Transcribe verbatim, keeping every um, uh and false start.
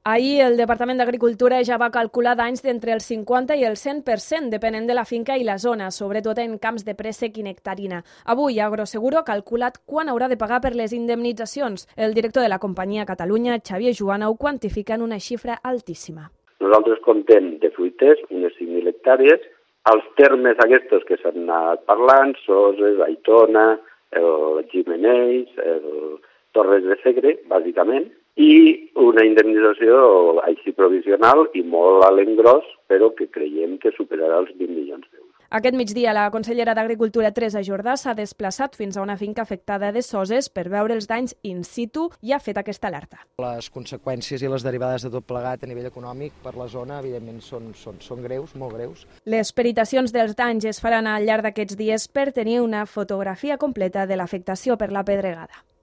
Ahir el Departament d'Agricultura ja va calcular danys d'entre el cinquanta i el cent per cent, depenent de la finca i la zona, sobretot en camps de préssec i nectarina. Avui, Agroseguro ha calculat quan haurà de pagar per les indemnitzacions. El director de la companyia a Catalunya, Xavier Juana, ho quantifica en una xifra altíssima. Nosaltres comptem de fruiters unes cinc mil hectàrees. Els termes aquests que s'han anat parlant, Soses, Aitona, el Gimenells, el Torres de Segre, bàsicament, i una indemnització així provisional i molt a l'engròs, però que creiem que superarà els vint milions d'euros. Aquest migdia, la consellera d'Agricultura, Teresa Jordà, s'ha desplaçat fins a una finca afectada de Soses per veure els danys in situ i ha fet aquesta alerta. Les conseqüències i les derivades de tot plegat a nivell econòmic per la zona, evidentment, són, són, són greus, molt greus. Les peritacions dels danys es faran al llarg d'aquests dies per tenir una fotografia completa de l'afectació per la pedregada.